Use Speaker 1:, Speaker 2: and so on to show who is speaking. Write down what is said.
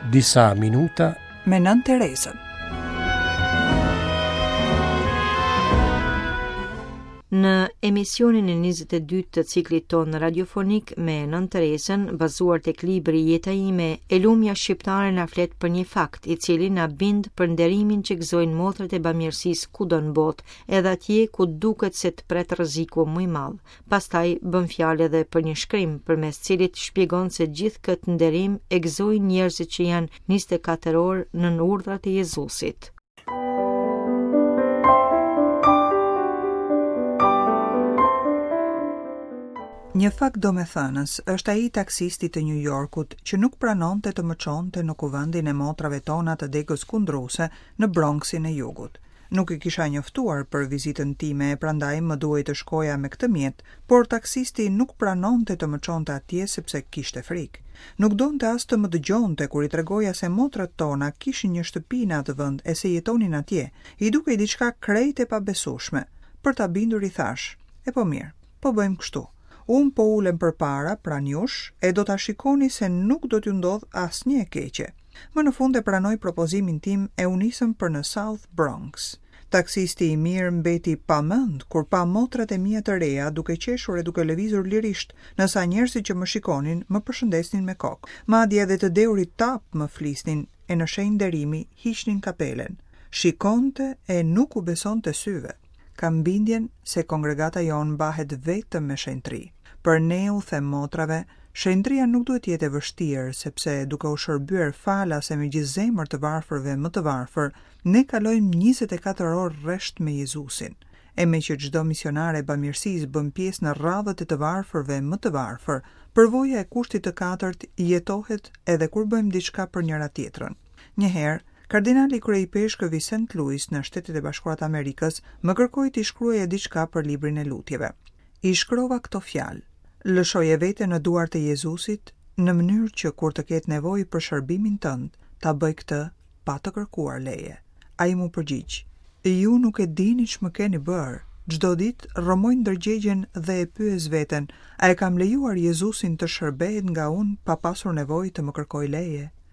Speaker 1: Disa minuta
Speaker 2: me Nënë Terezën.
Speaker 3: Në emisionin e 22 të ciklit tonë radiofonik me Nënë Terezën, bazuar tek libri Jeta ime, e lumja shqiptare na flet për një fakt, i cili na bind për nderimin që gëzojnë motrat e bamirësisë kudo në botë, edhe atje ku duket se të pret rreziku më i madh. Pastaj bën fjalë edhe për një shkrim përmes cilit shpjegon se gjithë këtë nderim e gëzojnë njerëzit që janë 24 orë nën urdhrat e Jezusit.
Speaker 2: Një fakt domethënës është ai i taksistit të Nju Jorkut që nuk pranonte të më çonte në kuvendin e motrave tona të degës kundruse në Bronxin e Jugut. Nuk i kisha njoftuar për vizitën time e prandaj më duhej të shkoja me këtë mjet, por taksisti nuk pranonte të më çonte atje sepse kishte frikë. Nuk donte as të më dëgjonte kur i tregoja se motrat tona kishin një shtëpi në atë vend e se jetonin atje. I dukej diçka krejt e pabesueshme. Për ta bindur i thashë, E po mirë, po bëjmë kështu. Unë po ulem përpara, pranë jush, e do ta shikoni se nuk do t'ju ndodhë asnjë e keqe. Më në fund e pranoi propozimin tim e u nisëm për në South Bronx. Taksisti i mirë mbeti pa mend kur pa motrat e mia të reja duke qeshur e duke lëvizur lirisht, ndërsa njerëzit që më shikonin më përshëndesnin me kokë. Madje edhe të dehurit tapë më flisnin e në shenjë nderimi hiqnin kapelen. Shikonte e nuk u besonte syve. Kam bindjen se kongregata jonë mbahet vetëm me shenjtëri. Për ne u them motrave, shenjtëria nuk duhet të jetë e vështirë, sepse duke u shërbyer falas e me gjithë zemër të varfërve më të varfër, ne kalojmë 24 orë rresht me Jezusin. E meqë çdo misionare e bamirësisë bën pjesë në radhët e të varfërve më të varfër, përvoja e kushtit të katërt jetohet edhe kur bëjmë diçka për njëra-tjetrën. Një herë, Kardinali kryeipeshkëv i Saint Louis në Shtetet e Bashkuara të Amerikës më kërkoi t'i shkruaja diçka për librin e lutjeve. I shkrova këto fjalë, Lëshoje veten në duart e Jezusit, në mënyrë që kur të ketë nevojë për shërbimin tënd, ta bëjë këtë pa të kërkuar leje. Ai m'u përgjigj, Ju nuk e dini ç'më keni bërë. Çdo ditë rrëmoj ndërgjegjen dhe e pyes veten, a e kam lejuar Jezusin të shërbehet nga unë pa pasur nevojë të më kërkojë leje?